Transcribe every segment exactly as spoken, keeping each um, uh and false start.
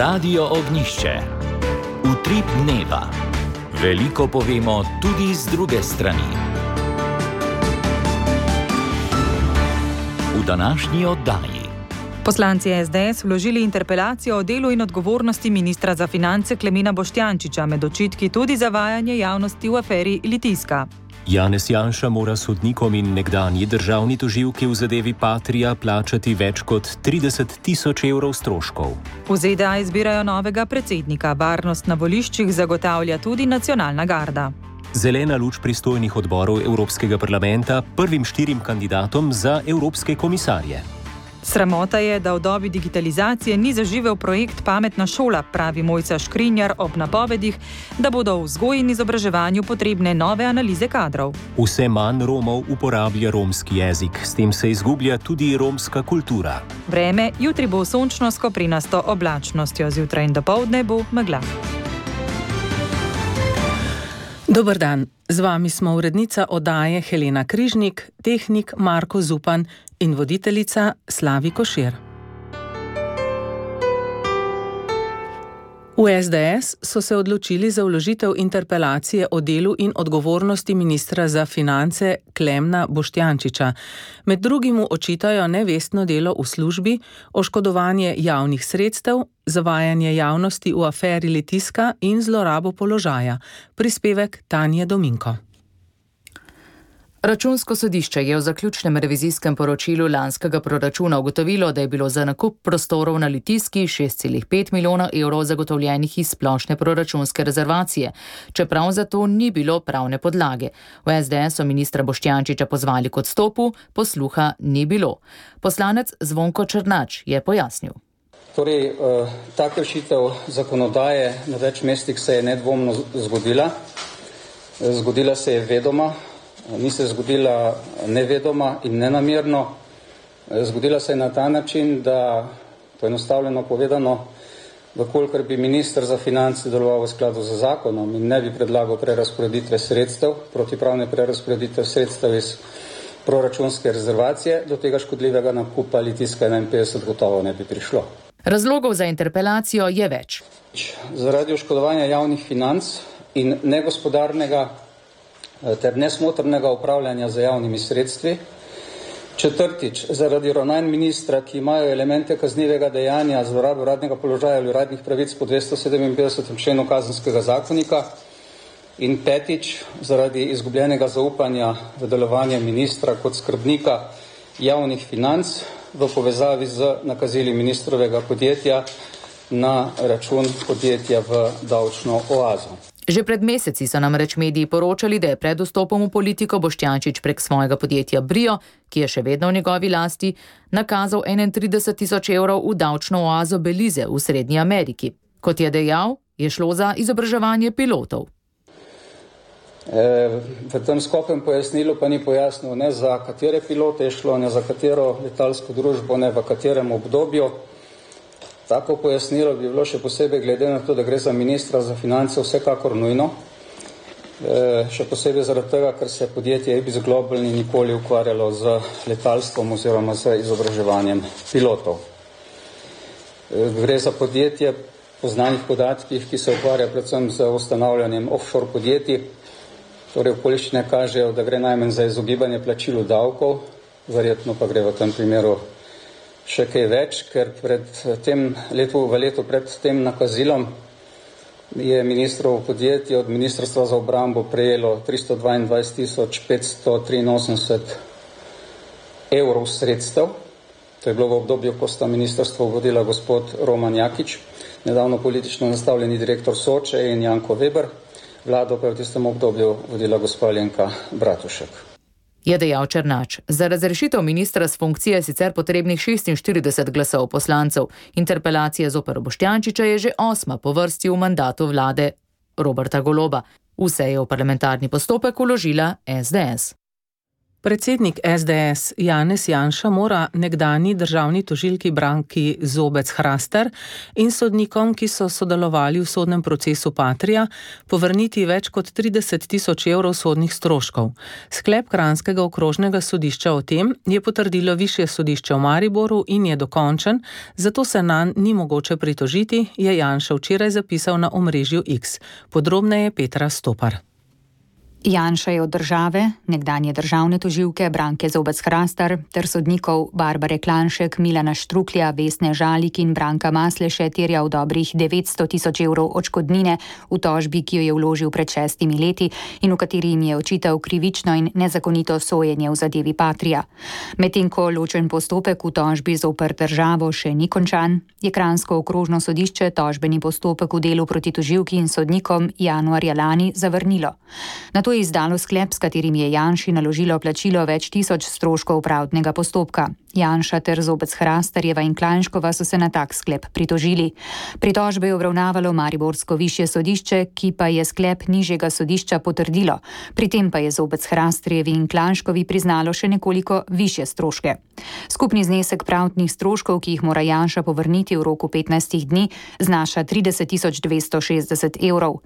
Radio Ognjišče. Utrip dneva. Veliko povemo tudi z druge strani. V današnji oddaji. Poslanci es de es vložili interpelacijo o delu in odgovornosti ministra za finance Klemena Boštjančiča, med očitki tudi zavajanje javnosti v aferi Litijska. Janez Janša mora sodnikom in nekdanji državni tožilki v zadevi Patria plačati več kot trideset tisoč evrov stroškov. V ze de a izbirajo novega predsednika, varnost na voliščih zagotavlja tudi nacionalna garda. Zelena luč pristojnih odborov Evropskega parlamenta prvim štirim kandidatom za evropske komisarje. Sramota je, da v dobi digitalizacije ni zaživel projekt Pametna šola, pravi Mojca Škrinjar ob napovedih, da bodo v vzgoji in izobraževanju potrebne nove analize kadrov. Vse manj Romov uporablja romski jezik, s tem se izgublja tudi romska kultura. Vreme, jutri bo sončno s koprinasto oblačnostjo, zjutraj in dopoldne bo megla. Dober dan, z vami smo urednica oddaje Helena Križnik, tehnik Marko Zupan in voditeljica Slavi Košir. V es de es so se odločili za vložitev interpelacije o delu in odgovornosti ministra za finance Klemna Boštjančiča. Med drugim mu očitajo nevestno delo v službi, oškodovanje javnih sredstev, zavajanje javnosti v aferi Litijska in zlorabo položaja. Prispevek Tanje Dominko. Računsko sodišče je v zaključnem revizijskem poročilu lanskega proračuna ugotovilo, da je bilo za nakup prostorov na Litijski šest celih pet milijona evrov zagotovljenih iz splošne proračunske rezervacije, čeprav za to ni bilo pravne podlage. V es de es so ministra Boštjančiča pozvali k odstopu, posluha ni bilo. Poslanec Zvonko Černač je pojasnil. Torej, eh, ta kršitev zakonodaje na več mestih se je nedvomno zgodila. Zgodila se je vedoma. Ni se zgodila nevedoma in nenamerno. Zgodila se je na ta način, da, poenostavljeno povedano, vkolikor bi minister za finance deloval v skladu z zakonom in ne bi predlagal prerazporeditve sredstev, protipravne prerazporeditve sredstev iz proračunske rezervacije, do tega škodljivega nakupa Litijska enainpetdeset gotovo ne bi prišlo. Razlogov za interpelacijo je več. Zaradi oškodovanja javnih financ in negospodarnega ter nesmotrnega upravljanja z javnimi sredstvi. Četrtič, zaradi ravnanj ministra, ki imajo elemente kaznivega dejanja zlorabe uradnega položaja ali uradnih pravic po dvesto sedeminpetdesetem členu Kazenskega zakonika. In petič, zaradi izgubljenega zaupanja v delovanje ministra kot skrbnika javnih financ v povezavi z nakazili ministrovega podjetja na račun podjetja v davčno oazo. Že pred meseci so namreč mediji poročali, da je pred vstopom v politiko Boštjančič prek svojega podjetja Brio, ki je še vedno v njegovi lasti, nakazal enaintrideset tisoč evrov v davčno oazo Belize v Srednji Ameriki. Kot je dejal, je šlo za izobraževanje pilotov. E, v tem skopem pojasnilu pa ni pojasnil, ne za katere pilote je šlo, ne za katero letalsko družbo, ne v katerem obdobju. Tako pojasnilo bi bilo še posebej glede na to, da gre za ministra za finance vsekakor nujno, e, še posebej zaradi tega, ker se podjetje Ibis Global ni nikoli ukvarjalo z letalstvom oziroma z izobraževanjem pilotov. E, gre za podjetje po znanih podatkih, ki se ukvarja predvsem z ustanavljanjem offshore podjetij, torej okoliščine kažejo, da gre najmanj za izogibanje plačilu davkov, verjetno pa gre v tem primeru še kaj več, ker pred tem letu, v letu pred tem nakazilom je ministrovo podjetje od Ministrstva za obrambo prejelo tristo dvaindvajset tisoč petsto triinosemdeset evrov sredstev. To je bilo v obdobju, ko sta ministrstvo vodila gospod Roman Jakič, nedavno politično nastavljeni direktor Soče in Janko Weber, vlado pa je v tistem obdobju vodila gospa Alenka Bratušek. Je dejal Černač. Za razrešitev ministra s funkcije je sicer potrebnih šestinštirideset glasov poslancev. Interpelacija zoper Boštjančiča je že osma po vrsti v mandatu vlade Roberta Goloba. Vse je v parlamentarni postopek vložila es de es. Predsednik es de es Janez Janša mora nekdanji državni tožilki Branki Zobec-Hraster in sodnikom, ki so sodelovali v sodnem procesu Patria, povrniti več kot trideset tisoč evrov sodnih stroškov. Sklep kranjskega okrožnega sodišča o tem je potrdilo višje sodišče v Mariboru in je dokončen, zato se nanj ni mogoče pritožiti, je Janša včeraj zapisal na omrežju X. Podrobneje Petra Stopar. Janša je od države, nekdanje državne tožilke Branke Zobec-Hraster ter sodnikov Barbare Klanšek, Milana Štruklja, Vesne Žalik in Branka Masleše terjal dobrih devetsto tisoč evrov odškodnine v tožbi, ki jo je vložil pred šestimi leti in v kateri jim je očital krivično in nezakonito sojenje v zadevi Patria. Medtem ko ločen postopek v tožbi zoper državo še ni končan, je kranjsko okrožno sodišče tožbeni postopek v delu proti tožilki in sodnikom januarja lani zavrnilo. Nato je izdalo sklep, s katerim je Janši naložilo plačilo več tisoč stroškov pravdnega postopka. Janša ter Zobec-Hrasterjeva in Klanškova so se na tak sklep pritožili. Pritožbe je obravnavalo mariborsko višje sodišče, ki pa je sklep nižjega sodišča potrdilo. Pri tem pa je Zobec-Hrasterjevi in Klanškovi priznalo še nekoliko višje stroške. Skupni znesek pravdnih stroškov, ki jih mora Janša povrniti v roku petnajstih dni, znaša trideset tisoč dvesto šestdeset evrov.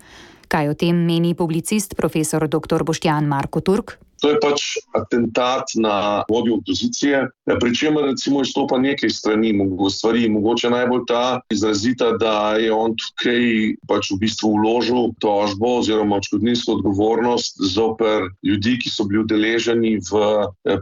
Kaj o tem meni publicist profesor doktor Boštjan Marko Turk? To je pač atentat na vodjo opozicije, pri čemer recimo izstopa nekaj strani, stvari, mogoče najbolj ta izrazita, da je on tukaj pač v bistvu vložil tožbo oziroma odškodninsko odgovornost zoper ljudi, ki so bili udeleženi v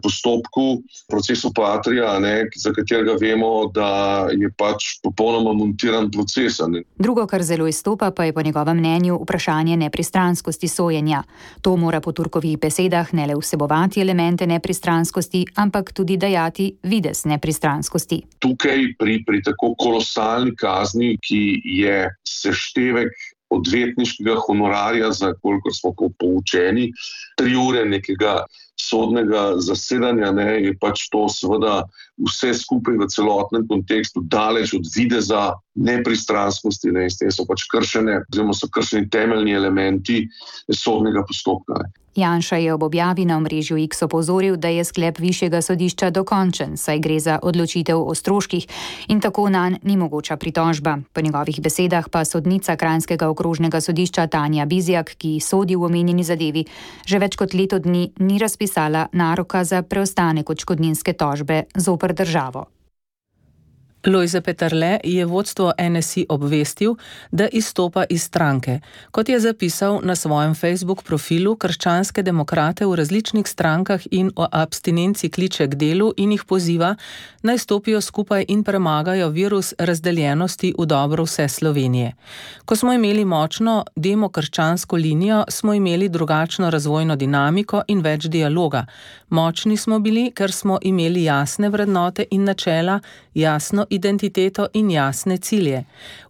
postopku procesu Patria, ne, za katerega vemo, da je pač popolnoma montiran proces. Ne. Drugo, kar zelo izstopa, pa je po njegovem mnenju vprašanje nepristranskosti sojenja. To mora po Turkovih besedah ne le vsebovati elemente nepristranskosti, ampak tudi dajati videz nepristranskosti. Tukaj pri, pri tako kolosalni kazni, ki je seštevek odvetniškega honorarja, za kolikor smo poučeni, tri ure nekega sodnega zasedanja, ne, je pač to seveda vse skupaj v celotnem kontekstu daleč od videza nepristranskosti, ne, s tem so pač kršene, oziroma so kršeni temeljni elementi sodnega postopka. Ne. Janša je ob objavi na omrežju X opozoril, da je sklep višjega sodišča dokončen, saj gre za odločitev o stroških in tako nanj ni mogoča pritožba. Po njegovih besedah pa sodnica kranjskega okrožnega sodišča Tanja Bizjak, ki sodi v omenjeni zadevi, že več kot leto dni ni razpisala naroka za preostanek odškodninske tožbe zoper državo. Lojze Peterle je vodstvo en es i obvestil, da izstopa iz stranke. Kot je zapisal na svojem Facebook profilu, krščanske demokrate v različnih strankah in o abstinenci kliče k delu in jih poziva, naj stopijo skupaj in premagajo virus razdeljenosti v dobro vse Slovenije. Ko smo imeli močno demokrščansko linijo, smo imeli drugačno razvojno dinamiko in več dialoga. Močni smo bili, ker smo imeli jasne vrednote in načela, jasno identiteto in jasne cilje.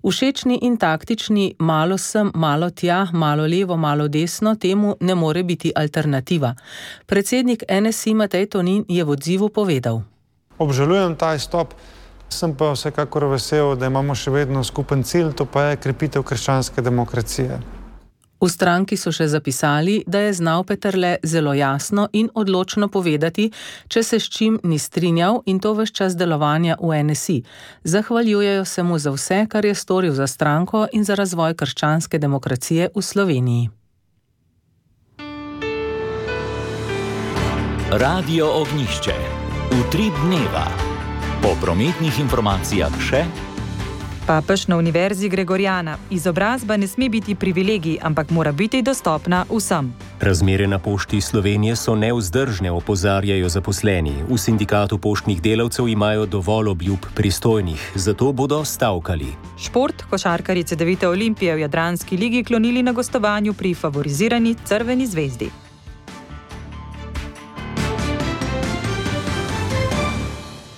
Všečni in taktični malo sem, malo tja, malo levo, malo desno, temu ne more biti alternativa. Predsednik en es i Matej Tonin je v odzivu povedal. Obžalujem ta izstop, sem pa vsekakor vesel, da imamo še vedno skupen cilj, to pa je krepitev krščanske demokracije. V stranki so še zapisali, da je znal Peterle zelo jasno in odločno povedati, če se s čim ni strinjal in to ves čas delovanja v en es i. Zahvaljujejo se mu za vse, kar je storil za stranko in za razvoj krščanske demokracije v Sloveniji. Radio Ognjišče. Utrip dneva. Po prometnih informacijah še... Papež na Univerzi Gregoriana. Izobrazba ne sme biti privilegij, ampak mora biti dostopna vsem. Razmere na Pošti Slovenije so nevzdržne, opozarjajo zaposleni. V sindikatu poštnih delavcev imajo dovolj obljub pristojnih, zato bodo stavkali. Šport, košarkarji Cedevite Olimpije v Jadranski ligi klonili na gostovanju pri favorizirani Crveni zvezdi.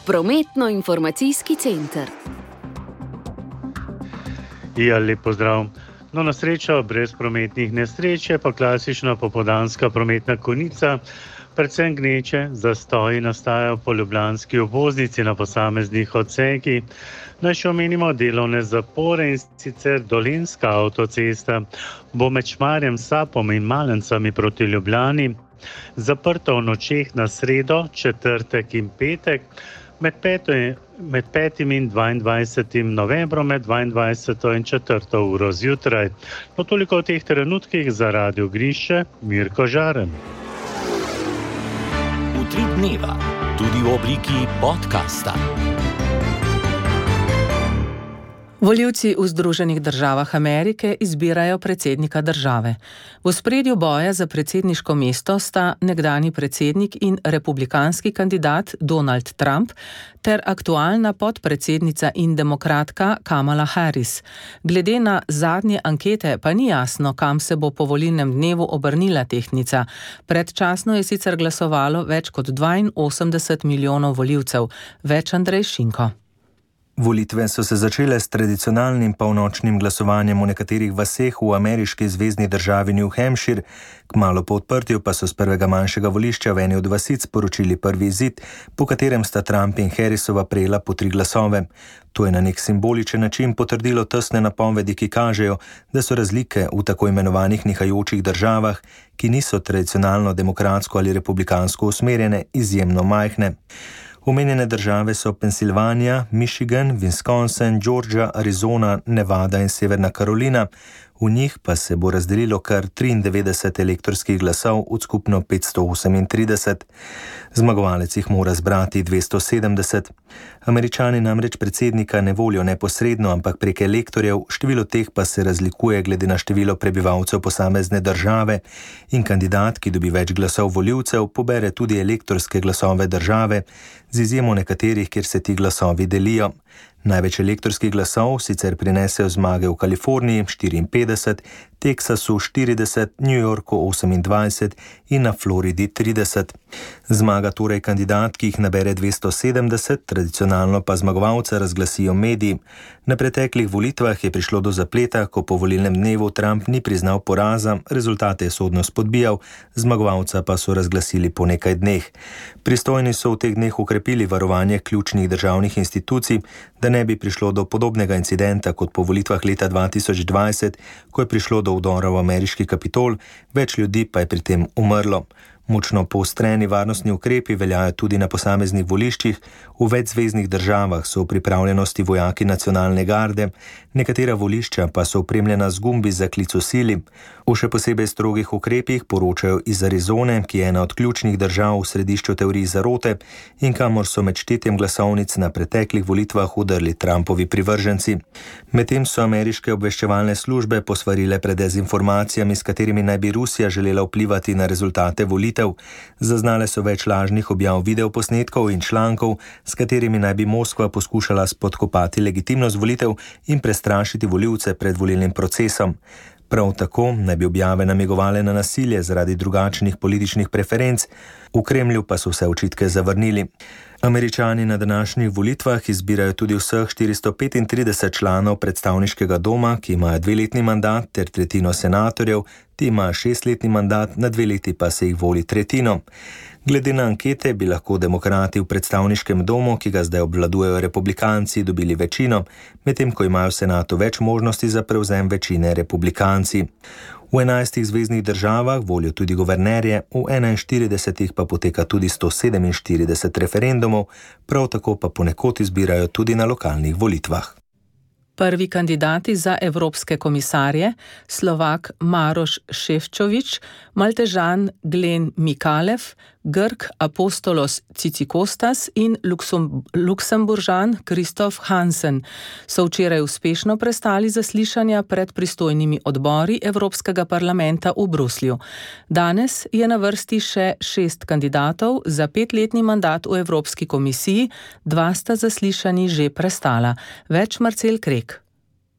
Prometno-informacijski center. Ja, lep pozdrav. No, na srečo brez prometnih nesreč je pa klasična popoldanska prometna konica, predvsem gneče, zastoji nastajajo po ljubljanski obvoznici na posameznih odsekih. Naj še omenimo delovne zapore, in sicer Dolenjska avtocesta bo med Šmarjem, Sapom in Malencami proti Ljubljani Zaprto v nočeh na sredo, četrtek in petek, med, peto, med petim in dvaindvajsetim novembrom, med dvaindvajseto in četrto uro zjutraj. No, toliko v teh trenutkih za Radio Grišče, Mirko Žaren. Utrip dneva, tudi v obliki podcasta. Volivci v Združenih državah Amerike izbirajo predsednika države. V ospredju boja za predsedniško mesto sta nekdanji predsednik in republikanski kandidat Donald Trump ter aktualna podpredsednica in demokratka Kamala Harris. Glede na zadnje ankete pa ni jasno, kam se bo po volilnem dnevu obrnila tehtnica. Predčasno je sicer glasovalo več kot dvainosemdeset milijonov volivcev. Več Andrej Šinko. Volitve so se začele s tradicionalnim polnočnim glasovanjem v nekaterih vaseh v ameriški zvezni državi New Hampshire, kmalu po odprtju pa so z prvega manjšega volišča v eni od vasic poročili prvi izid, po katerem sta Trump in Harrisova prejela po tri glasove. To je na nek simboličen način potrdilo tesne napovedi, ki kažejo, da so razlike v tako imenovanih nihajočih državah, ki niso tradicionalno demokratsko ali republikansko usmerjene, izjemno majhne. Omenjene države so Pensilvanija, Michigan, Wisconsin, Georgia, Arizona, Nevada in Severna Karolina. V njih pa se bo razdelilo kar triindevetdeset elektorskih glasov od skupno petsto osemintrideset. Zmagovalec jih mora zbrati dvesto sedemdeset. Američani namreč predsednika ne volijo neposredno, ampak prek elektorjev, število teh pa se razlikuje glede na število prebivalcev posamezne države in kandidat, ki dobi več glasov volivcev, pobere tudi elektorske glasove države, z izjemo nekaterih, kjer se ti glasovi delijo. Največ elektorskih glasov sicer prinesejo zmage v Kaliforniji štiriinpetdeset, Teksasu štirideset, New Yorku osemindvajset in na Floridi trideset. Zmaga torej kandidat, ki jih nabere dvesto sedemdeset, tradicionalno pa zmagovalca razglasijo mediji. Na preteklih volitvah je prišlo do zapleta, ko po volilnem dnevu Trump ni priznal poraza, rezultate je sodno spodbijal, zmagovalca pa so razglasili po nekaj dneh. Pristojni so v teh dneh ukrepili varovanje ključnih državnih institucij, da ne bi prišlo do podobnega incidenta kot po volitvah leta dva tisoč dvajset, ko je prišlo do vdora v ameriški Kapitol, več ljudi pa je pri tem umrlo. Močno poostreni varnostni ukrepi veljajo tudi na posameznih voliščih, v več zveznih državah so v pripravljenosti vojaki nacionalne garde, nekatera volišča pa so opremljena z gumbi za klic v sili. O še posebej strogih ukrepih poročajo iz Arizone, ki je ena od ključnih držav v središču teorij zarote in kamor so med štetjem glasovnic na preteklih volitvah udrli Trumpovi privrženci. Medtem so ameriške obveščevalne službe posvarile pred dezinformacijami, s katerimi naj bi Rusija želela vplivati na rezultate volitev. Zaznale so več lažnih objav videoposnetkov in člankov, s katerimi naj bi Moskva poskušala spodkopati legitimnost volitev in prestrašiti volivce pred volilnim procesom. Prav tako naj bi objave namigovale na nasilje zaradi drugačnih političnih preferenc, v Kremlju pa so vse očitke zavrnili. Američani na današnjih volitvah izbirajo tudi vseh štiristo petintrideset članov predstavniškega doma, ki imajo dveletni mandat, ter tretjino senatorjev, ti imajo šestletni mandat, na dve leti pa se jih voli tretjino. Glede na ankete bi lahko demokrati v predstavniškem domu, ki ga zdaj obvladujejo republikanci, dobili večino, medtem ko imajo v senatu več možnosti za prevzem večine republikanci. V enajstih zveznih državah volijo tudi guvernerje, v enainštiridesetih pa poteka tudi sto sedeminštirideset referendumov, prav tako pa ponekod izbirajo tudi na lokalnih volitvah. Prvi kandidati za evropske komisarje, Slovak Maroš Šefčovič, Maltežan Glen Mikalev, Grk Apostolos Cicikostas in Luksemburžan Kristof Hansen so včeraj uspešno prestali zaslišanja pred pristojnimi odbori Evropskega parlamenta v Bruslju. Danes je na vrsti še šest kandidatov za petletni mandat v Evropski komisiji, dva sta zaslišanji že prestala. Več Marcel Krek.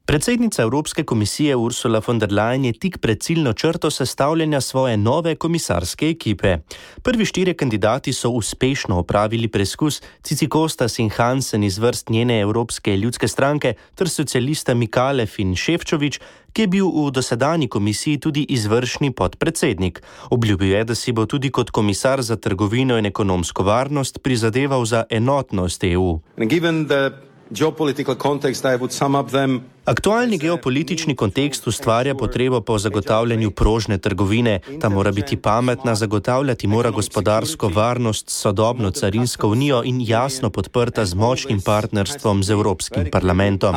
Predsednica Evropske komisije Ursula von der Leyen je tik pred ciljno črto sestavljanja svoje nove komisarske ekipe. Prvi štirje kandidati so uspešno opravili preskus, Cicikostas in Hansen iz vrst njene Evropske ljudske stranke ter socialista Mikalev in Šefčovič, ki je bil v dosedanji komisiji tudi izvršni podpredsednik. Obljubil je, da si bo tudi kot komisar za trgovino in ekonomsko varnost prizadeval za enotnost E U. Geopolitical context, I would sum up them Aktualni geopolitični kontekst ustvarja potrebo po zagotavljanju prožne trgovine. Ta mora biti pametna, zagotavljati mora gospodarsko varnost, sodobno carinsko unijo in jasno podprta z močnim partnerstvom z Evropskim parlamentom.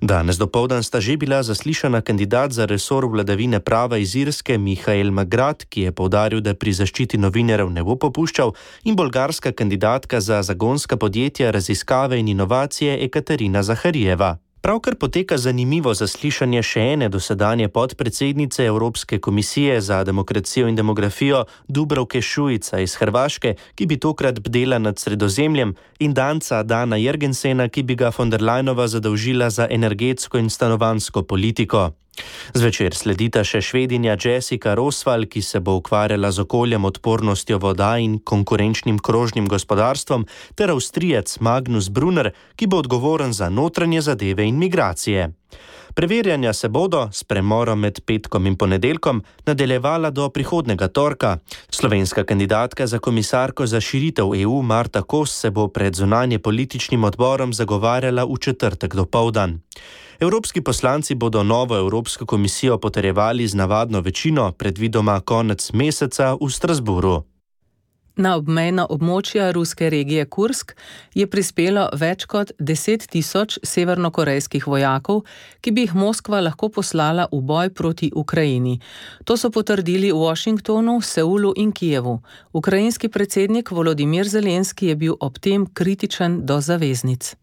Danes dopoldan sta že bila zaslišana kandidat za resor vladavine prava iz Irske Mihael Magrat, ki je poudaril, da pri zaščiti novinarjev ne bo popuščal, in bolgarska kandidatka za zagonska podjetja, raziskave in inovacije Ekaterina Zaharijeva. Pravkar poteka zanimivo zaslišanje še ene dosedanje podpredsednice Evropske komisije za demokracijo in demografijo Dubravke Šuica iz Hrvaške, ki bi tokrat bdela nad Sredozemljem, in Danca Dana Jergensena, ki bi ga von der Leyenova zadolžila za energetsko in stanovanjsko politiko. Zvečer sledita še Švedinja Jessica Rosval, ki se bo ukvarjala z okoljem, odpornostjo voda in konkurenčnim krožnim gospodarstvom, ter Avstrijec Magnus Brunner, ki bo odgovoren za notranje zadeve in migracije. Preverjanja se bodo s premorom med petkom in ponedeljkom nadaljevala do prihodnega torka. Slovenska kandidatka za komisarko za širitev E U Marta Kos se bo pred zunanje političnim odborom zagovarjala v četrtek dopoldan. Evropski poslanci bodo novo Evropsko komisijo potrjevali z navadno večino, predvidoma konec meseca v Strasburu. Na obmejna območja ruske regije Kursk je prispelo več kot deset tisoč severnokorejskih vojakov, ki bi jih Moskva lahko poslala v boj proti Ukrajini. To so potrdili v Washingtonu, Seulu in Kijevu. Ukrajinski predsednik Volodimir Zelenski je bil ob tem kritičen do zaveznic.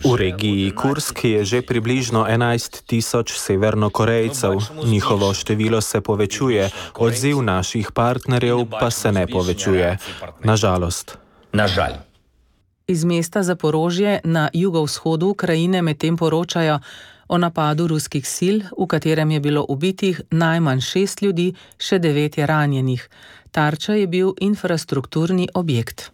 V regiji Kursk je že približno enajst tisoč severnokorejcev. Njihovo število se povečuje, odziv naših partnerjev pa se ne povečuje. Nažalost. Iz mesta Zaporožje na jugovzhodu Ukrajine medtem poročajo o napadu ruskih sil, v katerem je bilo ubitih najmanj šest ljudi, še devet je ranjenih. Tarča je bil infrastrukturni objekt.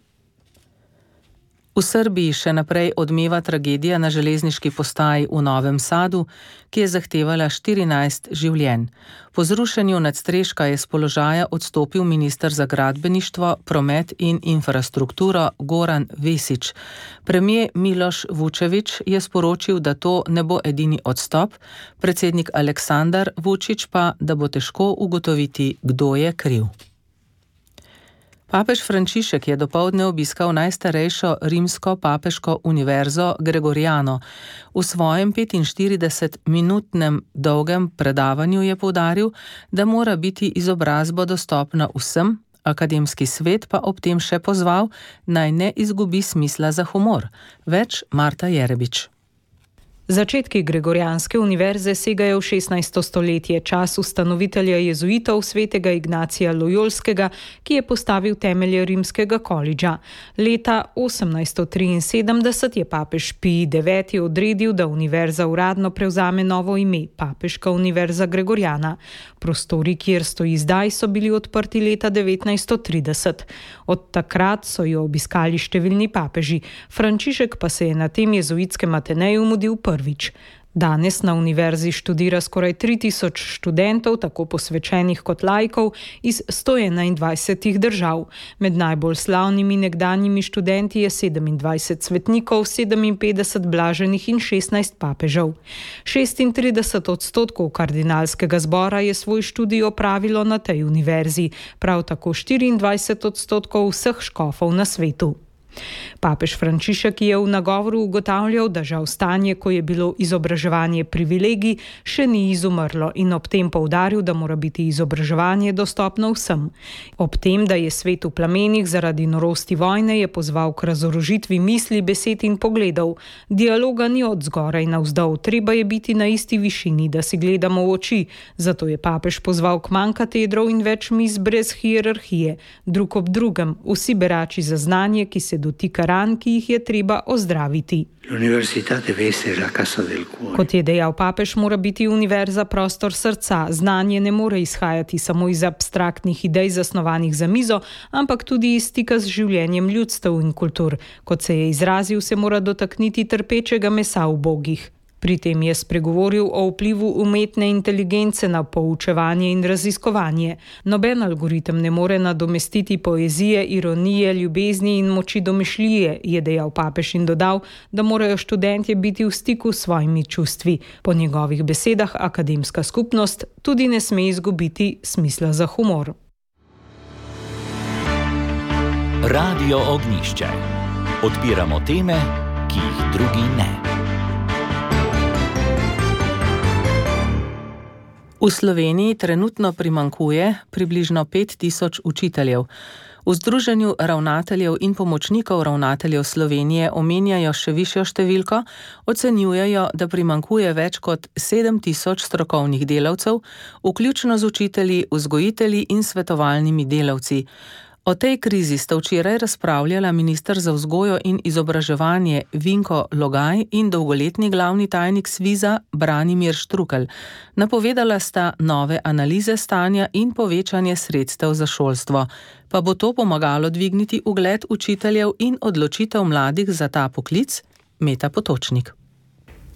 V Srbiji še naprej odmeva tragedija na železniški postaji v Novem Sadu, ki je zahtevala štirinajst življenj. Po zrušenju nadstreška je s položaja odstopil minister za gradbeništvo, promet in infrastrukturo Goran Vesić. Premijer Miloš Vučević je sporočil, da to ne bo edini odstop, predsednik Aleksandar Vučić pa, da bo težko ugotoviti, kdo je kriv. Papež Frančišek je dopoldne obiskal najstarejšo rimsko papeško univerzo Gregoriano. V svojem petinštiridesetminutnem dolgem predavanju je poudaril, da mora biti izobrazba dostopna vsem, akademski svet pa ob tem še pozval, naj ne izgubi smisla za humor. Več Marta Jerebič. Začetki Gregorijanske univerze segajo v šestnajsto stoletje, čas ustanovitelja jezuitov svetega Ignacija Lojolskega, ki je postavil temelje rimskega kolidža. Leta osemnajsto triinsedemdeset je papež Pij deveti odredil, da univerza uradno prevzame novo ime, Papeška univerza Gregorijana. Prostori, kjer stoji zdaj, so bili odprti leta devetnajsto trideset. Od takrat so jo obiskali številni papeži. Frančišek pa se je na tem jezuitskem Ateneju mudil prvič. Danes na univerzi študira skoraj tri tisoč študentov, tako posvečenih kot laikov, iz sto enaindvajsetih držav. Med najbolj slavnimi nekdanjimi študenti je sedemindvajset svetnikov, sedeminpetdeset blaženih in šestnajst papežev. šestintrideset odstotkov kardinalskega zbora je svoj študij opravilo na tej univerzi, prav tako štiriindvajset odstotkov vseh škofov na svetu. Papež Frančišek je v nagovoru ugotavljal, da žal stanje, ko je bilo izobraževanje privilegij, še ni izumrlo in ob tem poudaril, da mora biti izobraževanje dostopno vsem. Ob tem, da je svet v plamenih zaradi norosti vojne, je pozval k razorožitvi misli, besed in pogledov. Dialoga ni od zgoraj navzdol, treba je biti na isti višini, da si gledamo v oči. Zato je papež pozval k manj katedrov in več miz brez hierarhije, drug ob drugem, vsi berači za znanje, ki se dotika ran, ki jih je treba ozdraviti. Kot je dejal papež, mora biti univerza prostor srca. Znanje ne more izhajati samo iz abstraktnih idej zasnovanih za mizo, ampak tudi iz stika z življenjem ljudstev in kultur. Kot se je izrazil, se mora dotakniti trpečega mesa ubogih. Pri tem je spregovoril o vplivu umetne inteligence na poučevanje in raziskovanje. Noben algoritem ne more nadomestiti poezije, ironije, ljubezni in moči domišljije, je dejal papež in dodal, da morajo študentje biti v stiku s svojimi čustvi. Po njegovih besedah akademska skupnost tudi ne sme izgubiti smisla za humor. Radio Ognjišče. Odpiramo teme, ki jih drugi ne. V Sloveniji trenutno primanjkuje približno pet tisoč učiteljev. V Združenju ravnateljev in pomočnikov ravnateljev Slovenije omenjajo še višjo številko, ocenjujejo, da primanjkuje več kot sedem tisoč strokovnih delavcev, vključno z učitelji, vzgojitelji in svetovalnimi delavci. O tej krizi sta včeraj razpravljala minister za vzgojo in izobraževanje Vinko Logaj in dolgoletni glavni tajnik Sviza Branimir Štrukelj. Napovedala sta nove analize stanja in povečanje sredstev za šolstvo. Pa bo to pomagalo dvigniti ugled učiteljev in odločitev mladih za ta poklic? Meta Potočnik.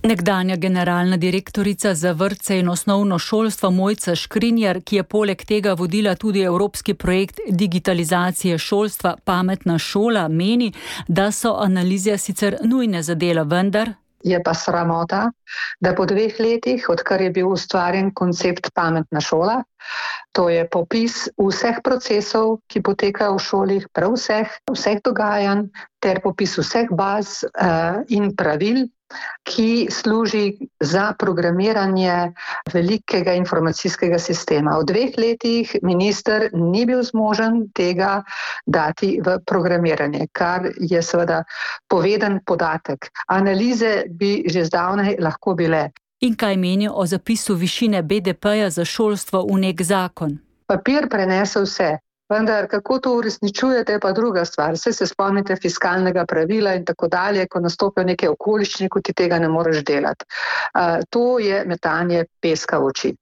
Nekdanja generalna direktorica za vrtce in osnovno šolstvo Mojca Škrinjar, ki je poleg tega vodila tudi evropski projekt digitalizacije šolstva Pametna šola, meni, da so analize sicer nujne za delo, vendar je pa sramota, da po dveh letih, odkar je bil ustvarjen koncept Pametna šola, to je popis vseh procesov, ki potekajo v šolih, prav vseh, vseh dogajanj, ter popis vseh baz uh, in pravil, ki služi za programiranje velikega informacijskega sistema. V dveh letih minister ni bil zmožen tega dati v programiranje, kar je seveda poveden podatek. Analize bi že zdavnaj lahko bile. In kaj menijo o zapisu višine B D P-ja za šolstvo v nek zakon? Papir prenese vse. Vendar, kako to uresničujete, je pa druga stvar. Vse se spomnite fiskalnega pravila in tako dalje, ko nastopijo neke okoliščine, ko ti tega ne moreš delati. Uh, to je metanje peska v oči.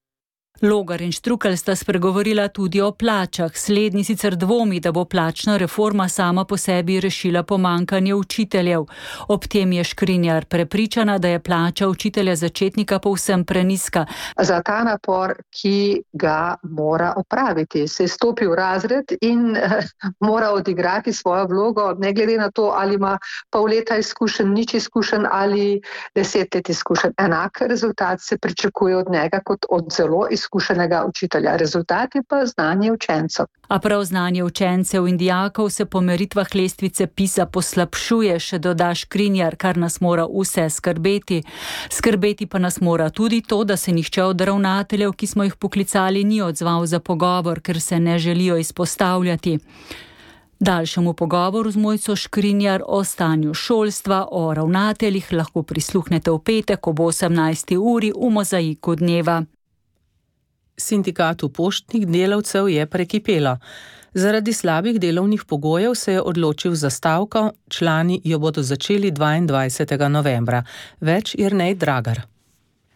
Logar in Štrukelj sta spregovorila tudi o plačah. Slednji sicer dvomi, da bo plačna reforma sama po sebi rešila pomanjkanje učiteljev. Ob tem je Škrinjar prepričana, da je plača učitelja začetnika povsem preniska. Za ta napor, ki ga mora opraviti, se je stopil v razred in eh, mora odigrati svojo vlogo, ne glede na to, ali ima pol leta izkušen, nič izkušen ali deset let izkušen. Enak rezultat se pričakuje od njega kot od zelo izkušen. Izkušenega učitelja. Rezultat je pa znanje učencev. A prav znanje učencev in dijakov se po meritvah lestvice PISA poslabšuje, še doda Škrinjar, kar nas mora vse skrbeti. Skrbeti pa nas mora tudi to, da se nihče od ravnateljev, ki smo jih poklicali, ni odzval za pogovor, ker se ne želijo izpostavljati. Daljšemu pogovoru z Mojco Škrinjar o stanju šolstva, o ravnateljih lahko prisluhnete v petek ob osemnajsti uri v Mozaiku dneva. Sindikatu poštnih delavcev je prekipelo. Zaradi slabih delovnih pogojev se je odločil za stavko, člani jo bodo začeli dvaindvajsetega novembra. Več Jernej Dragar.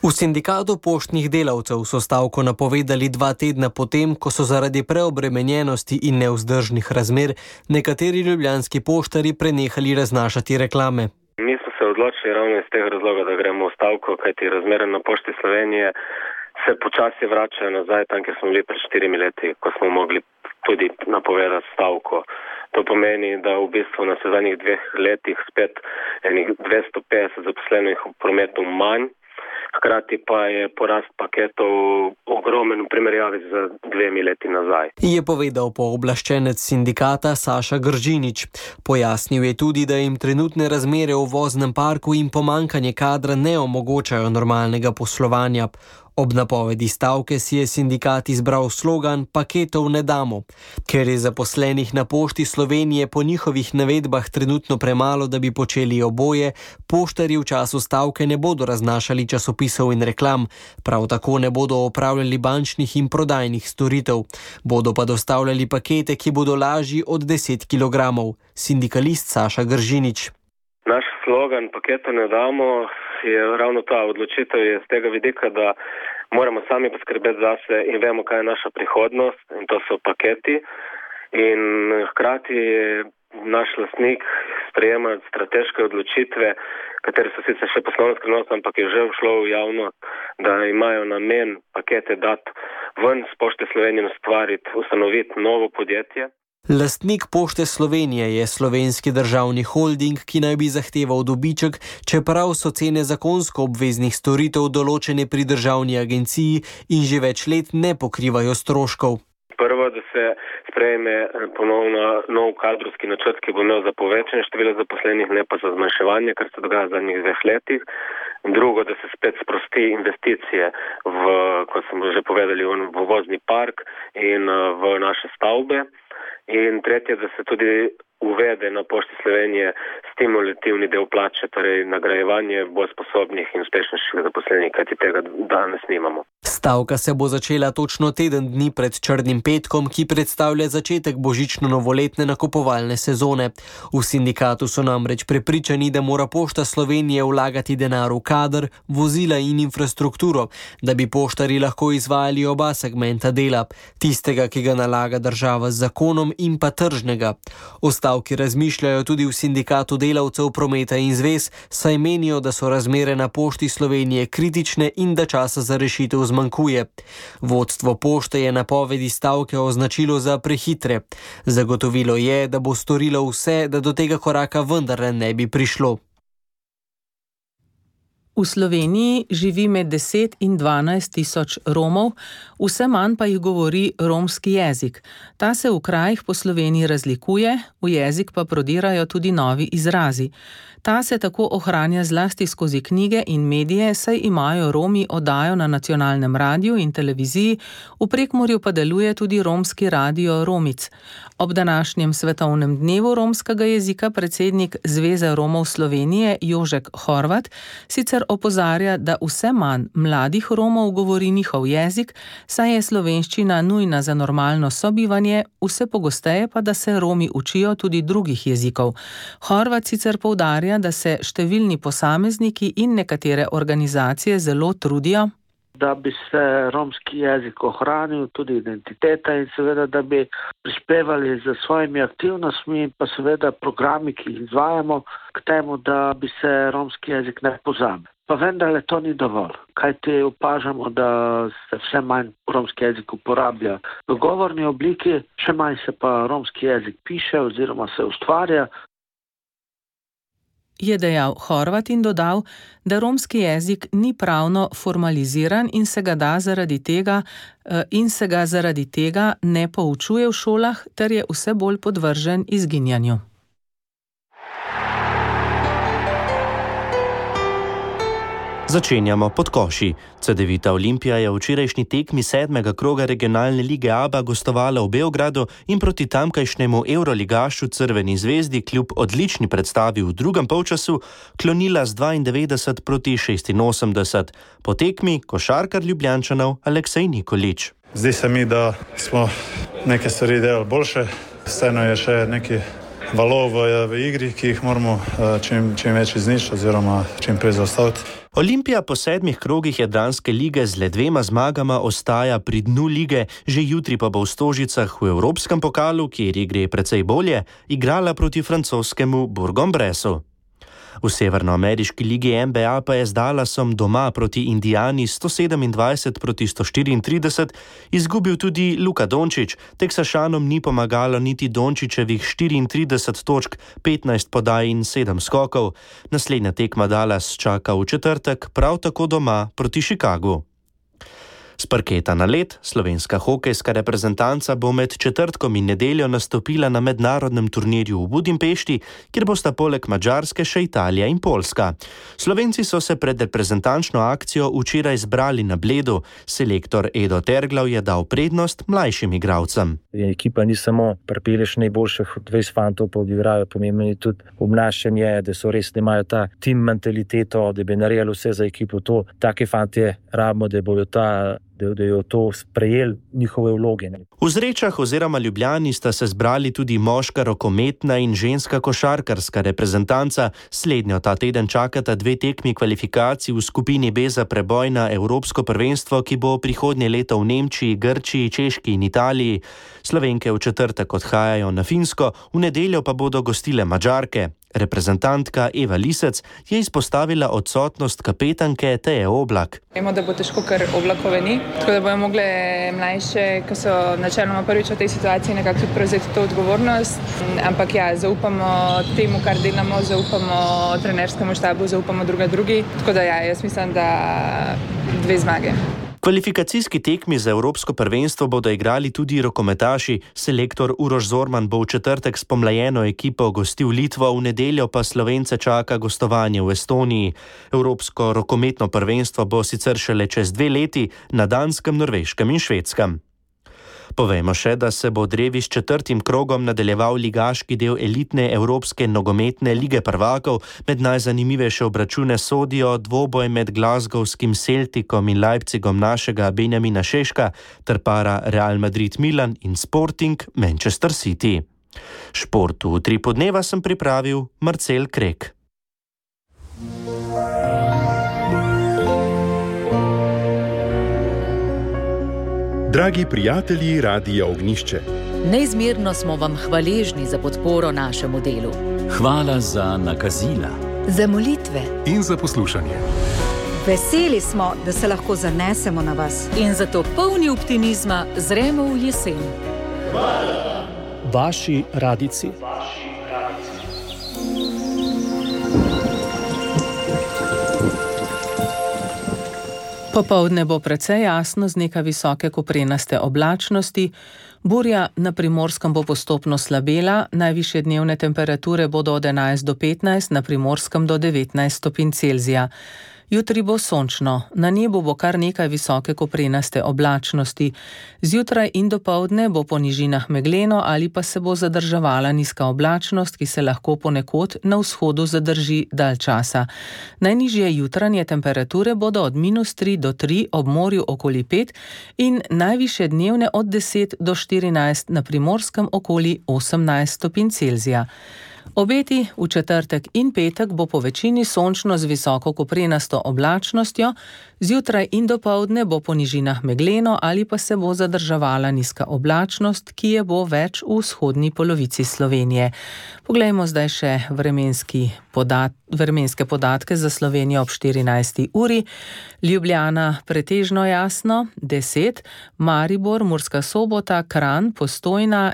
V sindikatu poštnih delavcev so stavko napovedali dva tedna potem, ko so zaradi preobremenjenosti in nevzdržnih razmer nekateri ljubljanski poštarji prenehali raznašati reklame. Mi smo se odločili ravno iz tega razloga, da gremo v stavko, kajti razmere na Pošti Slovenije se počasi vračajo nazaj tam, kjer smo bili pred štirimi leti, ko smo mogli tudi napovedati stavko. To pomeni, da v bistvu na zadnjih dveh letih spet enih dvesto petdeset zaposlenih v prometu manj, hkrati pa je porast paketov ogromen v primerjavi z dvemi leti nazaj. Je povedal pooblaščenec sindikata Saša Gržinič. Pojasnil je tudi, da jim trenutne razmere v voznem parku in pomankanje kadra ne omogočajo normalnega poslovanja. Ob napovedi stavke si je sindikat izbral slogan "Paketov ne damo". Ker je zaposlenih na Pošti Slovenije po njihovih navedbah trenutno premalo, da bi počeli oboje, poštarji v času stavke ne bodo raznašali časopisov in reklam, prav tako ne bodo opravljali bančnih in prodajnih storitev. Bodo pa dostavljali pakete, ki bodo lažji od deset kilogramov. Sindikalist Saša Gržinič. Naš slogan "Paketa ne damo" je ravno ta odločitev je z tega vidika, da moramo sami poskrbeti zase in vemo, kaj je naša prihodnost, in to so paketi. In hkrati je naš lastnik sprejemati strateške odločitve, katere so sicer še poslovno skrivnost, ampak je že všlo v javnost, da imajo namen pakete dati ven z Pošte Slovenije, ustvariti, ustanoviti novo podjetje. Lastnik Pošte Slovenije je Slovenski državni holding, ki naj bi zahteval dobiček, čeprav so cene zakonsko obveznih storitev določene pri državni agenciji in že več let ne pokrivajo stroškov. Prvo, da se sprejme ponovno nov kadrovski načrt, ki bo imel za povečanje števila zaposlenih, ne pa za zmanjševanje, kar se dogaja v zadnjih dveh letih. Drugo, da se spet sprosti investicije v, kot smo že povedali, v vozni park in v naše stavbe. In tretje, da se tudi uvede na Pošti Slovenije stimulativni del plače, torej nagrajevanje bolj sposobnih in uspešnejših zaposlenih, kajti tega danes nimamo. Stavka se bo začela točno teden dni pred Črnim petkom, ki predstavlja začetek božično-novoletne nakupovalne sezone. V sindikatu so namreč prepričani, da mora Pošta Slovenije vlagati denar v kader, vozila in infrastrukturo, da bi poštarji lahko izvajali oba segmenta dela, tistega, ki ga nalaga država z zakonom, in pa tržnega. O stavki razmišljajo tudi v sindikatu delavcev prometa in zvez, saj menijo, da so razmere na Pošti Slovenije kritične in da časa za rešitev zmanjkuje. Vodstvo pošte je napovedi stavke označilo za prehitre. Zagotovilo je, da bo storilo vse, da do tega koraka vendarle ne bi prišlo. V Sloveniji živi med deset in dvanajst tisoč Romov, vse manj pa jih govori romski jezik. Ta se v krajih po Sloveniji razlikuje, v jezik pa prodirajo tudi novi izrazi. Ta se tako ohranja zlasti skozi knjige in medije, saj imajo Romi oddajo na nacionalnem radiju in televiziji, v Prekmurju pa deluje tudi romski radio Romic. Ob današnjem svetovnem dnevu romskega jezika predsednik Zveze Romov Slovenije Jožek Horvat sicer opozarja, da vse manj mladih Romov govori njihov jezik, saj je slovenščina nujna za normalno sobivanje, vse pogosteje pa, da se Romi učijo tudi drugih jezikov. Horvat sicer poudarja, da se številni posamezniki in nekatere organizacije zelo trudijo, da bi se romski jezik ohranil, tudi identiteta, in seveda, da bi prispevali z svojimi aktivnostmi in pa seveda programi, ki jih izvajamo, k temu, da bi se romski jezik ne pozabil. Pa vendarle to ni dovolj, kajti opažamo, da se vse manj romski jezik uporablja v govorni obliki, še manj se pa romski jezik piše oziroma se ustvarja. Je dejal Horvat in dodal, da romski jezik ni pravno formaliziran in se ga da zaradi tega in se ga zaradi tega ne poučuje v šolah, ter je vse bolj podvržen izginjanju. Začenjamo pod koši. Cedevita Olimpija je v včerajšnji tekmi sedmega kroga regionalne lige ABA gostovala v Beogradu in proti tamkajšnjemu evroligašu Crveni zvezdi kljub odlični predstavi v drugem polčasu klonila z dvaindevetdeset proti šestinosemdeset. Po tekmi košarkar Ljubljančanov Aleksej Nikolić. Zdi se mi, da smo neke stvari delali boljše. Vseeno je še neki valov v, v igri, ki jih moramo čim, čim več izničiti oziroma čim prej zaustaviti. Olimpija po sedmih krogih Jadranske lige z le dvema zmagama ostaja pri dnu lige, že jutri pa bo v Stožicah v Evropskem pokalu, kjer igre precej bolje, igrala proti francoskemu Bourg-en-Bressu. V severnoameriški ligi N B A pa je z Dallasom doma proti Indijani sto sedemindvajset proti sto štiriintrideset izgubil tudi Luka Dončić. Teksašanom ni pomagalo niti Dončićevih štiriintrideset točk, petnajst podaj in sedem skokov. Naslednja tekma Dallas čaka v četrtek, prav tako doma proti Chicagu. S parketa na led, slovenska hokejska reprezentanca bo med četrtkom in nedeljo nastopila na mednarodnem turnirju v Budimpešti, kjer bosta poleg Madžarske še Italija in Poljska. Slovenci so se pred reprezentančno akcijo včeraj zbrali na Bledu. Selektor Edo Terglav je dal prednost mlajšim igralcem. Ekipa ni samo pripeleš najboljših dvajset fantov, pa odigrajo pomembno je tudi obnašanje, da so res imajo ta tim mentaliteto, da bi naredili vse za ekipo. To, take fantje rabimo, da bojo ta da jo to sprejeli njihove vloge. V Zrečah oziroma Ljubljani sta se zbrali tudi moška rokometna in ženska košarkarska reprezentanca. Slednjo ta teden čakata dve tekmi kvalifikacij v skupini B za preboj na Evropsko prvenstvo, ki bo prihodnje leto v Nemčiji, Grčiji, Češki in Italiji. Slovenke v četrtek odhajajo na Finsko, v nedeljo pa bodo gostile Madžarke. Reprezentantka Eva Lisec je izpostavila odsotnost kapetanke Teje Oblak. Vemo, da bo težko, ker Oblakove ni, tako da bojo mogle mlajše, ki so načeloma prvič v tej situaciji, nekako tudi prevzeti to odgovornost. Ampak ja, zaupamo temu, kar delamo, zaupamo trenerskemu štabu, zaupamo druga drugi. Tako da ja, jaz mislim, da dve zmage. Kvalifikacijski tekmi za Evropsko prvenstvo bodo igrali tudi rokometaši. Selektor Uroš Zorman bo v četrtek s pomlajeno ekipo gostil Litvo, v nedeljo pa Slovence čaka gostovanje v Estoniji. Evropsko rokometno prvenstvo bo sicer šele čez dve leti na Danskem, Norveškem in Švedskem. Povejmo še, da se bo drevi s četrtim krogom nadaljeval ligaški del elitne Evropske nogometne lige prvakov. Med najzanimivejše obračune sodijo dvoboj med glasgowskim Celticom in Leipzigom našega Benjamina Šeška ter para Real Madrid Milan in Sporting Manchester City. Športu v Tripu dneva sem pripravil Marcel Krek. Dragi prijatelji Radia Ognjišče, neizmerno smo vam hvaležni za podporo našemu delu. Hvala za nakazila, za molitve in za poslušanje. Veseli smo, da se lahko zanesemo na vas. In zato polni optimizma zremo v jesen. Hvala. Vaši radici. Popoldne bo precej jasno z nekaj visoke koprenaste oblačnosti. Burja na Primorskem bo postopno slabela, najvišje dnevne temperature bodo od enajst do petnajst, na Primorskem do devetnajst stopinj Celzija. Jutri bo sončno, na nebu bo kar nekaj visoke koprenaste oblačnosti. Zjutraj in dopoldne bo po nižinah megleno ali pa se bo zadrževala nizka oblačnost, ki se lahko ponekod na vzhodu zadrži dalj časa. Najnižje jutranje temperature bodo od minus tri do tri, ob morju okoli pet in najvišje dnevne od deset do štirinajst, na Primorskem okoli osemnajst stopinj Celzija. Obeti v četrtek in petek bo po večini sončno z visoko koprenasto oblačnostjo, zjutraj in dopoldne bo po nižinah megleno ali pa se bo zadrževala nizka oblačnost, ki je bo več v vzhodni polovici Slovenije. Poglejmo zdaj še vremenski podat, vremenske podatke za Slovenijo ob štirinajsti uri. Ljubljana pretežno jasno, deset, Maribor, Murska Sobota, Kranj, Postojna,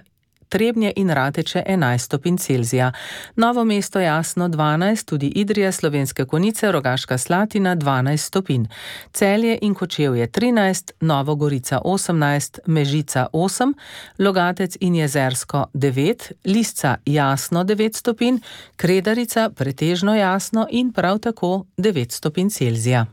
Trebnje in Rateče enajst stopinj Celzija. Novo mesto jasno dvanajst, tudi Idrija, Slovenske Konjice, Rogaška Slatina dvanajst stopinj. Celje in Kočevje trinajst, Novo Gorica osemnajst, Mežica osem, Logatec in Jezersko devet, Lisca jasno devet stopinj, Kredarica pretežno jasno in prav tako devet stopinj Celzija.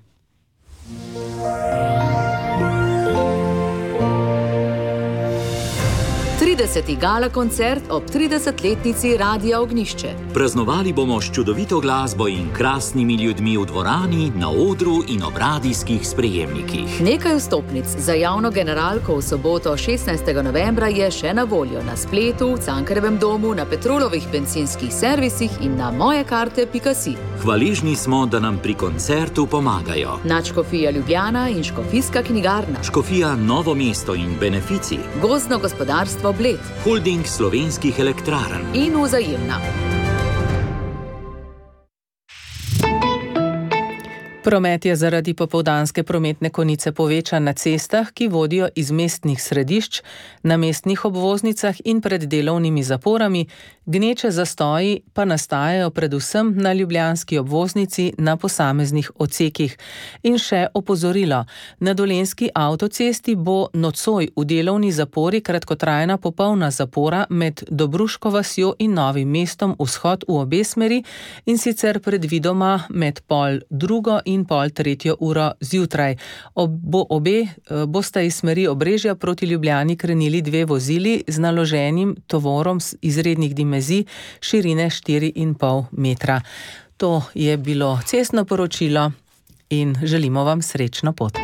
trideseti gala koncert ob tridesetletnici Radia Ognjišče. Praznovali bomo s čudovito glasbo in krasnimi ljudmi v dvorani, na odru in ob radijskih sprejemnikih. Nekaj vstopnic za javno generalko v soboto šestnajstega novembra je še na voljo na spletu, v Cankarjevem domu, na Petrolovih bencinskih servisih in na mojekarte pika si. Hvaležni smo, da nam pri koncertu pomagajo Nadškofija Ljubljana in Škofijska knjigarna, Škofija Novo mesto in Benefici, Gozdno gospodarstvo Bled, Holding slovenskih elektrarn in Vzajemna. Promet je zaradi popoldanske prometne konice povečan na cestah, ki vodijo iz mestnih središč, na mestnih obvoznicah in pred delovnimi zaporami, gneče zastoji pa nastajajo predvsem na ljubljanski obvoznici na posameznih odsekih. In še opozorilo, na Dolenjski avtocesti bo nocoj v delovni zapori kratkotrajna popolna zapora med Dobruško vasjo in Novim mestom vzhod v obe smeri, in sicer predvidoma med pol drugo in pol tretjo uro zjutraj. Ob, obe bosta iz smeri Obrežja proti Ljubljani krenili dve vozili z naloženim tovorom z izrednih dimenzij širine štiri in pol metra. To je bilo cestno poročilo in želimo vam srečno pot.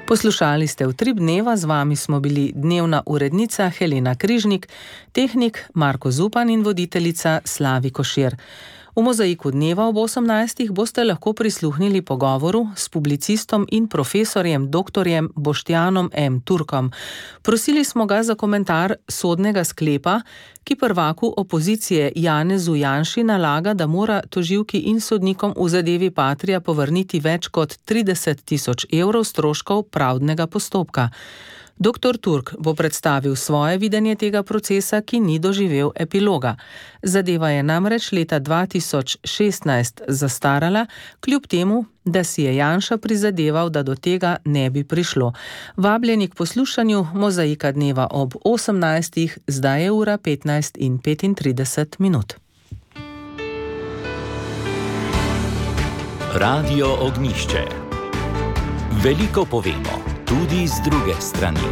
Poslušali ste Utrip dneva, z vami smo bili dnevna urednica Helena Križnik, tehnik Marko Zupan in voditeljica Slavi Košir. V Mozaiku dneva ob osemnajstih boste lahko prisluhnili pogovoru s publicistom in profesorjem doktorjem Boštjanom M. Turkom. Prosili smo ga za komentar sodnega sklepa, ki prvaku opozicije Janezu Janši nalaga, da mora tožilki in sodnikom v zadevi Patria povrniti več kot trideset tisoč evrov stroškov pravdnega postopka. Doktor Turk bo predstavil svoje videnje tega procesa, ki ni doživel epiloga. Zadeva je namreč leta dva tisoč šestnajst zastarala, kljub temu, da si je Janša prizadeval, da do tega ne bi prišlo. Vabljeni k poslušanju Mozaika dneva ob osemnajstih, zdaj je ura petnajst in petintrideset minut. Radio Ognjišče. Veliko povemo, tudi z druge strani.